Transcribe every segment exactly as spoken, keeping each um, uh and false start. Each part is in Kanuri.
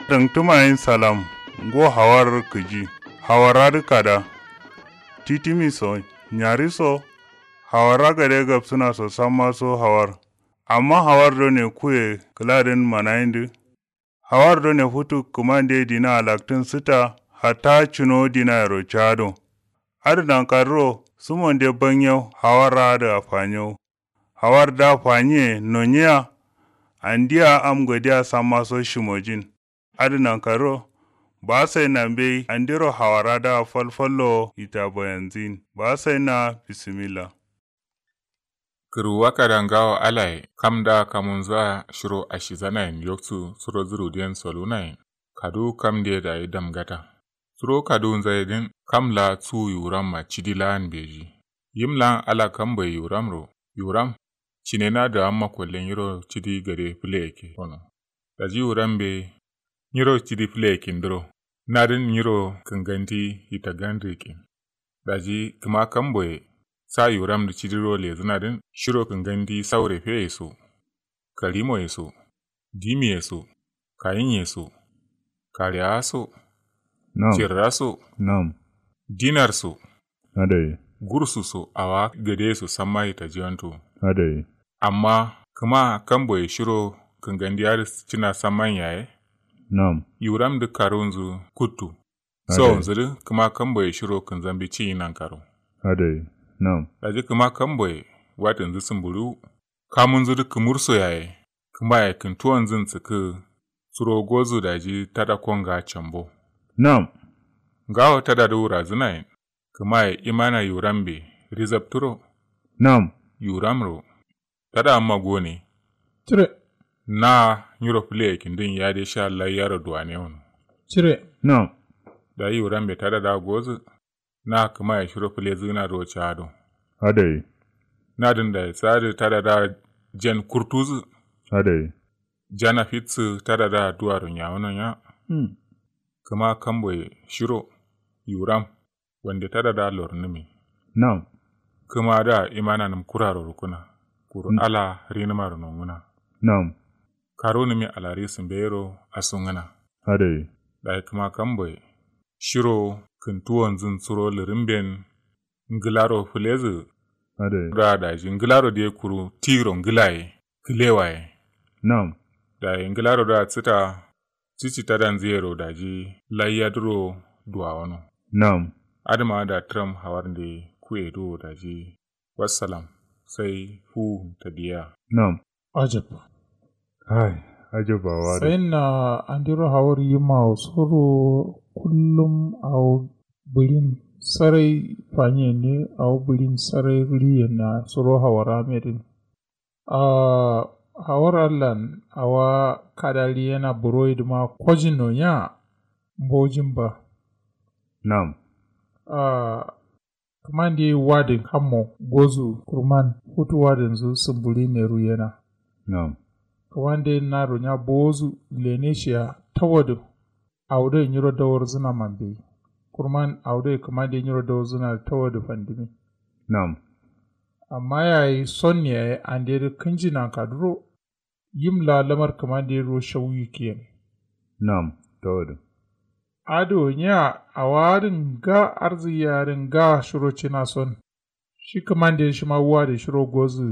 Tǝngtǝma yin salam. Ngo hawar kǝji. Hawara dǝ kada. Titimi so nyari so. Hawara gade gabsǝna so samma so hawar. Amma hawar done kuye kǝladǝn manayindǝ. Hawar done futu kǝmande dina alaktǝn sǝta. Hatta cǝno dinayero cado. Adǝ nankadǝro sǝmonde banyau hawar adǝ afanyo. Hawar da fanyiye nonyiya. Andiya am godiya samma so shimojin. Adǝ nankadǝro ba saina mbei andiro hawara da falfallo ita bayanzin ba saina. Bisimilla. Kǝrwuwa kada ngawo alaye kam da kamunza shiro ashizanayen yoksu suro zǝrudiyen solunayen. Kaduwu kamde dayi damgata. Suro kaduwunzaye dǝn kam la tsu yuwuramma cidi laan beji. Yim laan ala kamboye yuwuramro. Yuwuram. Cinena dǝ amma kolle nyiro cidi gade fǝle yake kono. Daji yuwuram be nyiro cidi fǝle yakin dǝro. Nadǝn nyiro kǝngandi itagan dǝ yakin. Daji kǝma kamboye sa yuwuram dǝ cidiro lezǝna dǝn shiro kǝngandi saure feye so. Karimoye so. Dimiye so. Kayinye so. Kareya so. Nam. Cirra so. Nam. Dinar so. Adai. Gursu so awa gade so samma itajiwanto. Adai. Amma kǝma kamboye shiro kǝngandi adǝ cina samman yaye. Nam. Yuwuram dǝ karunzǝ kuttu. Adai. Sawonzǝ dǝ kǝma kamboye shiro kǝnzambi ciyi nankaro. Adai. Nam. Daji kǝma kamboye watǝnzǝ sǝmburiwu. Kamunzǝ dǝ kǝmurso yaye. Kǝmaye kǝntuwonzǝn sǝkkǝ. Suro gozu daji tada konga cambo. Nam. Ngawo tada dǝ wurazǝnayen. Kǝmaye imana yuwurambe rizabtǝro. Nam. Yuwuramro. Tada amma gone. Cire. Na nyiro fǝle yakindin yade sha laiyaro duwane wono. Cire. Nam. Dayi yuwurambe tada da gozǝ. Na kǝmaye shiro fǝlezǝna do cado. Adai. Nadǝn dayi sadǝ tada da jen kurtuzǝ. Adai. Jana fitsǝ tada da duwaro nyawuno nya. Hmm. Kǝma kamboye shiro yuwuram. Wande tada da lornǝmi. Nam. Kǝma da imana nǝm kuraro rukuna. Kuru ala rinǝmaro nonguna. Nam. Karunǝmi alari sǝmbeyero asungǝna. Adai. Dayi kǝma kamboye shiro kǝntuwonzǝn suro lǝrǝmben. Ngǝlaro fǝlezǝ. Adai. Da daji ngǝlaro diye kuru tiro ngǝlaye. Kǝlewaye. Nam. Dayi ngǝlaro da sǝta. Cici tadanzǝyero daji laiyadǝro duwawono. Nam. Adǝma da tǝram hawarnde kuye duwo daji. Wassalam. Sai fuwun tadiya. Nam. Ajab. Hai. Ajab awa dǝ. Sayin na andiro hawar yima wo soro. Kullum awo bǝrin sarai fanyen ne awo bǝrin sarai riyen na soro hawara medin. Ahh. Hawar allan awa kada riyena buroi dǝma kojin no nya. Mbojin ba. Nam. Ahh. Kǝmande wadǝ kammo gozu kurman futu wadǝnzǝ sǝmburi ne ruyena. Nam. Kǝmande naro nya bowozu lene shiya tawadǝ. Awo doi nyiro dawarzǝna mambeyi. Kurman awo doi kǝmande nyiro dawarzǝna dǝ tawadǝ fandǝmi. Nam. Amma yayi son yayi andedǝ kǝnji nankaduro. Yim la lamar kǝmande duro shau yikkiyen. Nam. Tawadǝ. Adǝ wo nya awa adǝ nga arzǝ yadǝ nga shiro cina son. Shi kǝmande shima wadǝ shiro gozǝ.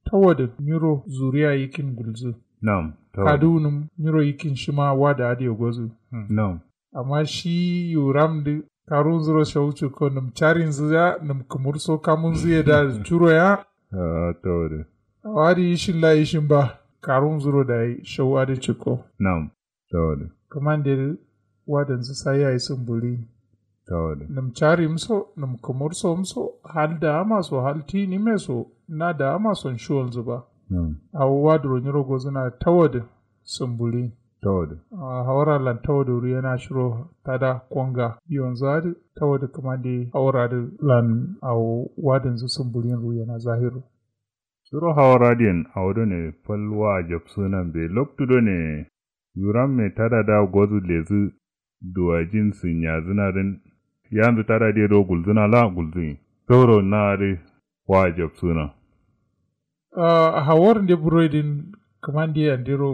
Tawadǝ nyiro zuriya yikkin gulzǝ. Nam. Tawadǝ. Kaduwunǝm nyiro yikkin shima wadǝ adǝ ye gozǝ. Nam. Amma shi yuram dǝ karunzuro shau cǝkko nǝm carinzǝ ya nǝm kǝmurso kamunzǝ ye da curo ya. Ahh. Tawadǝ. Awa dǝ ishin la ishin ba. Karunzuro dayi shau adǝ cǝkko. Nam. Tawadǝ. Kǝmande dǝ wadǝnzǝ sai yayi sǝmburi. Tawadǝ. Nǝm carimso nǝm kǝmursomso hal daamaso hal tinime so. Na daamason shiwolnzǝ ba. Nam. Awo wadǝro nyiro gozǝna tawadǝ. Sǝmburi. Tawadǝ. Ahh hawar allan tawadǝ ruyena shiro tada konga yonzǝ adǝ. Tawadǝ kǝmande hawar adǝ lan awo wadǝnzǝ sǝmburin ruyena zahiro. Shiro hawar adǝyen awo done fal wa ajabsǝnan be loktu done. Yuramme tada da gozǝ lezǝ. Duwajin sǝnyazǝna dǝn. Yanzǝ tada diye do gulzǝna la gulzǝ. Zauro na adǝ wa ajabsǝna. Ahh hawar nde buroi dǝn kǝmande andero.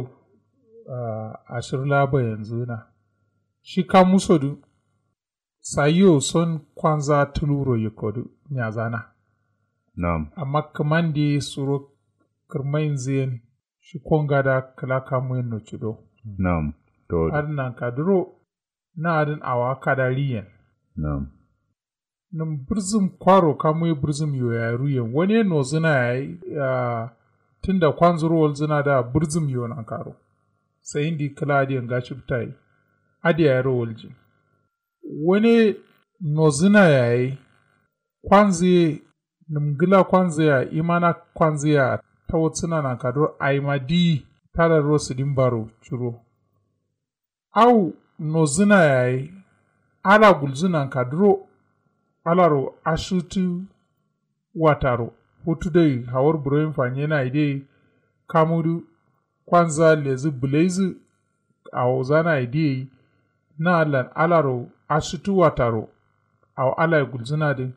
Ahh ashir la bayanzǝna. Shi kamu so dǝ sayiyo son kwanza tuluro yikko dǝ nyazana. Nam. Amma kǝmande suro kǝrmainzǝ yen shi konga da kǝla kamu yen no cido. Nam. To adǝ nanka duro na adǝn awa kada riyen. Nam. Nǝm bǝrzǝm kwaro kamuye bǝrzǝm yo yayi ruyen wane nozǝna yayi. Tunda kwanzuro walzǝna da bǝrzǝm yo nankaro. Sai ndi kǝla adǝ yanga ciptayi adǝ yayiro waljin. Wane nozǝna yayi kwanzǝye. Nǝm ngǝla kwanzǝya imana kwanzǝya tawatsǝna nankaduro ayima diyi. Tada duro sǝdin baro curo. Au nozǝna yayi ala gulzǝ nankaduro. Alaro ashǝtǝ wataro futu doi hawar buroyin fanyena idai. Kamudu kwanza lezǝ bǝlaizǝ awozana idai. Na allan alaro ashǝtǝ wataro. Awo alaye gulzǝnadǝ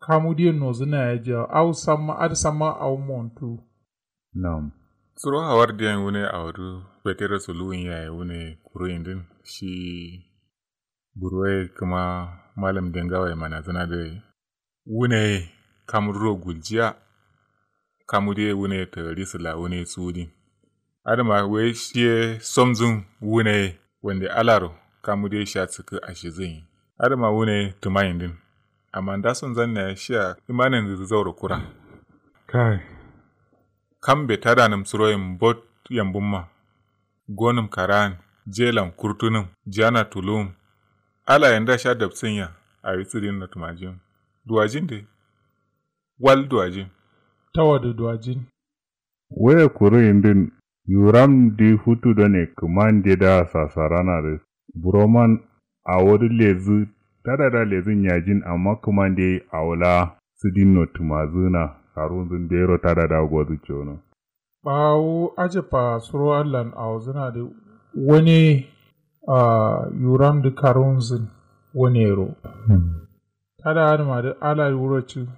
kamudiye nozǝna yayi jawo au samma adǝ samma awo montu. Nam. Suro hawar diyen wune awo dǝ fetere suluwun yaye wune kuru indin shi. Buroye kǝma mallam dengawaye manazǝna dǝ. Wune ye kamu duro guljiya. Kamu dǝ ye wune ye tǝgari sǝla wune ye suwudin. Adǝma wai shiye somzǝn wune ye wande alaro kamu dǝ ye sha sǝkkǝ ashizǝnyi. Adǝma wune ye tǝmayindin. Amma ndasonzan yayi shiya imanindǝ dǝ zauro kura. Kai. Kambe tadanǝm suroyin mbot yambǝmma. Gonǝm kara'an jelan kurtunǝm jana tuluwum. Alaye nda sha dabsǝnya awi sǝdin notǝmajin. Duwajin dǝ wal duwajin. Tawadǝ duwajin. Wuye kuru indin yuram dǝ futu done kǝmande da sasarana dǝ. Buroman awo dǝ lezǝ tada da lezǝ nyajin amma kǝmande awo la sǝdin notǝmazǝna. Karunzǝn dero tada da gozǝ cono. Bawo ajabba suro allan awozǝna dǝ wane. Yuram dǝ karunzǝn wanero. Tada adǝma dǝ ala wuro ci.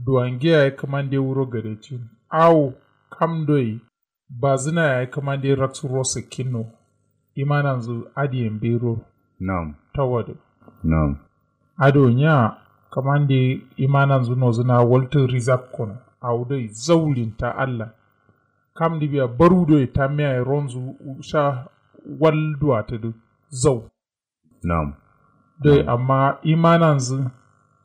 Duwange yayi kǝmande wuro gadecin awo kam doi. Bazǝna yayi kǝmande raksu ro sǝkkinno. Imananzǝ adǝyen biro. Nam. Tawadǝ. Nam. Ado nya kǝmande imananzǝ nozǝna waltǝ rizak kono. Awo doi zaulinta allan. Kamdǝ biya baru doi tammiyaye ronzǝ sha wal duwatǝdǝ. Zau. Nam. Doi amma imananzǝ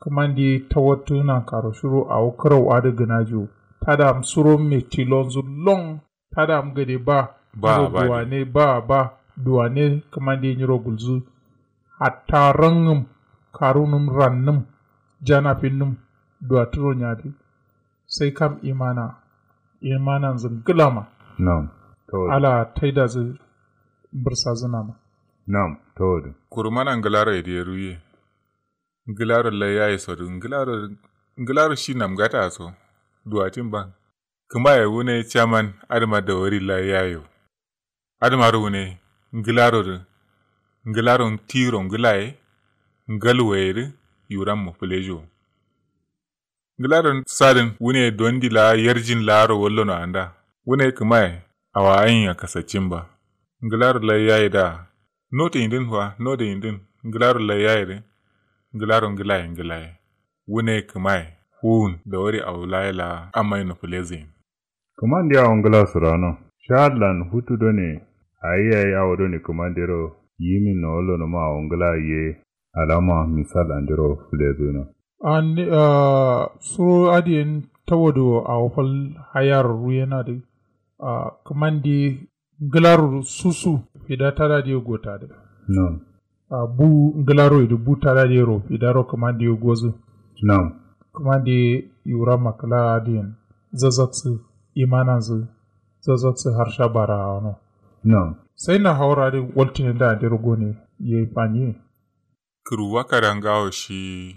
kǝmande tawattǝ nankaro shiro awo kǝrau adǝ gǝnajiwo. Tadam suro me tilonzǝ lon. Tadam gade ba. Ba ba duwane ba ba. Duwane kǝmande nyiro gulzǝ. Hatta rangǝm karunǝm rannǝm. Janafinnǝm duwattǝro nyadǝ. Sai kam imana. Imananzǝ ngǝlama. Nam. Ala taidazǝ. Bǝrsazǝnama. Nam. Tawodǝ. Kuru mana ngǝlaro ye dǝ ye ruye. Ngǝlaro laiyaye sodǝ ngǝlaro. Ngǝlaro shi namgata so. Duwatin ban. Kǝmaye wune caman adǝma dawari laiyayo. Adǝmaro wune ngǝlaro dǝ. Ngǝlaro tiro ngǝlaye. Ngalwaye dǝ. Yurammo fǝlejo. Ngǝlaro sadǝn wune dondi laa yarjin laaro wallono anda. Wune kǝmaye awa ayinya kasaccin ba. Ngǝlaro laiyaye da. Noto indin fa noto indin. Ngǝlaro laiyaye dǝ. Ngǝlaro ngǝlaye ngǝlaye. Wune kǝmaye fuwun dawari awo laye laa amma ino fǝlezǝ yin. Kǝmande awo ngla sǝrano. Sha allan futu done. Ayi yayi awo done kǝmandero yimin no wallono ma awo ngla ye. Alama misal andero fǝlezǝno. Suro adǝ yen tawodo awo fal hayar ruyenadǝ. Kǝmande ngǝlaro susu fida tadadǝ ye gotadǝ. Nam. Abu ngǝlaro idǝ bu tadadǝ yero fidaro kǝmande ye gozǝ. Nam. Kǝmande ye yuramma kǝla adǝ yen zazaksǝ imananzǝ. Zazaksǝ harsha bara awano. Nam. Sai na hawar adǝ waltǝne da andero gone ye fanye. Kǝruwa kada ngawo shi.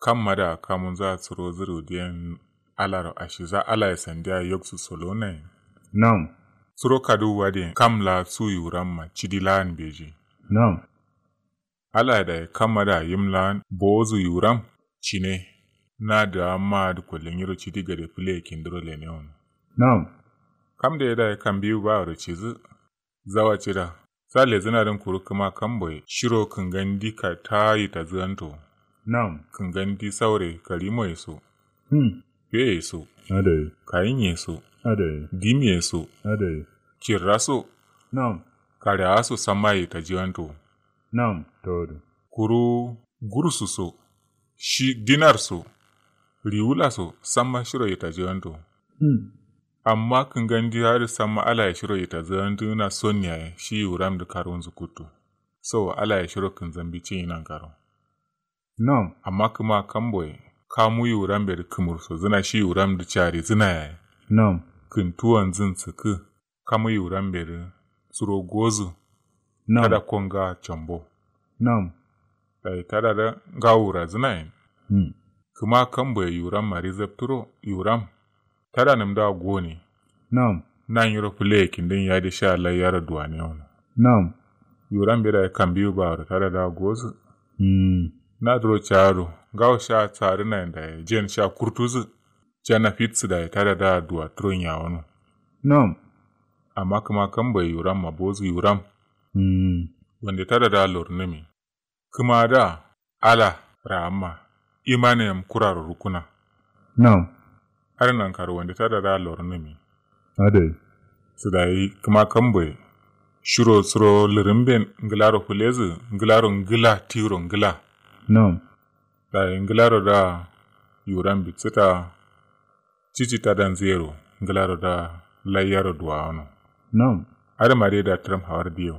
Kamma da kamunza suro zǝ rudiyen alaro ashiza alaye sandiya yoksu solonayen. Nam. Suro kaduwu adǝyen kam laa su yuramma cidi laan beji. Nam. Alaye dayi kamma da yim laan bowozǝ yuram. Cine. Na dǝ amma adǝ kolle nyiro cidi gade fǝle ye kindiro lene wono. Nam. Kam dǝ ye dayi kambiwu ba wuro cizǝ. Zawa cida. Sa lezǝna dǝn kuru kǝma kamboye shiro kǝngandi ka ta yitazǝganto. Nam. Kǝngandi saure karimoye so. Hmm. Feye so. Adai. Kayinye so. Adai. Dimiye so. Adai. Cirra so. Nam. Kare awa so samma yitajiganto. Nam. Tawadu. Kuru gursu so. Shi dinar so. Riwula so samma shiro yitajiganto. Hmm. Amma kǝngandi adǝ samma alaye shiro yitazǝgandǝna son yaye shi yiwuramdǝ karunzǝ kuttu. So alaye shiro kǝnzambi ciyi nankaro. Nam. Amma kǝma kamboye kamu yiwurambe dǝ kǝmurso zǝna shi yiwuramdǝ carizǝna yaye. Nam. Kǝntuwanzǝn sǝkkǝ. Kamu yiwurambe dǝ suro gozǝ. Nam. Tada konga combo. Nam. Dayi tada da ngawu razǝnayen. Hmm. Kǝma kamboye yiwuram mari zapturo yiwuram. Tada nǝmda gone. Nam. Na nyiro fǝleye kindin yadi sha layyaro duwane wono. Nam. Yiwurambe dayi kambiwu baworo tada da gozǝ. Hmm. Na duro cado ngawo sha sarinayen dayi jen sha kurtuzǝ. Jana fitsǝ dayi tada da duwa turo nyawono. Nam. Amma kǝma kamboye yiwuram ma bozǝ yiwuram. Hmm. Wande tada da lornǝmi. Kǝma da ala ra'amma. Imane yam kuraro rukkuna. Nam. Adǝ nankaro wande tada da lornǝmi. Adai. Sǝ dayi kǝma kamboye. Shiro suro lǝrǝmben ngǝlaro fǝlezǝ ngǝlaro ngǝla tiro ngǝla. Nam. Dayi ngǝlaro da yiwuram bitsǝta. Cici tadanzǝ yero ngǝlaro da layyaro duwawano. Nam. Adǝ ma dai da tǝram hawar diyo.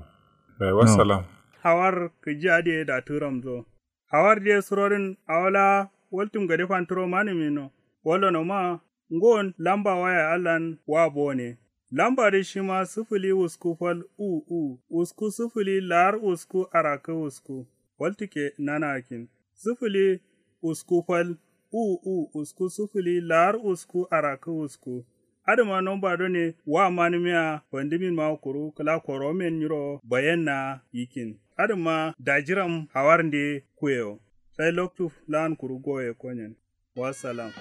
Dayi wassalam. Hawar kǝji adǝ ye da tǝramzo. Hawar diye surodǝn awo la waltum gade fanturo manǝmino. Wallono ma ngon lamba waya allan wa bone. Lamba dǝ shima sǝfǝli usku fal u u usku sǝfǝli lar usku arakkǝ usku. Waltǝkke nanakin sǝfǝli usku fal u u usku sǝfǝli lar usku arakkǝ usku. Adǝma nomba done wa manǝmiya fandǝmin ma kuru kǝla koromen nyiro bayenna yikin. Adǝma dajiram hawarnde kuyewo. Sai loktu lan kuru goye konyen. Wassalam.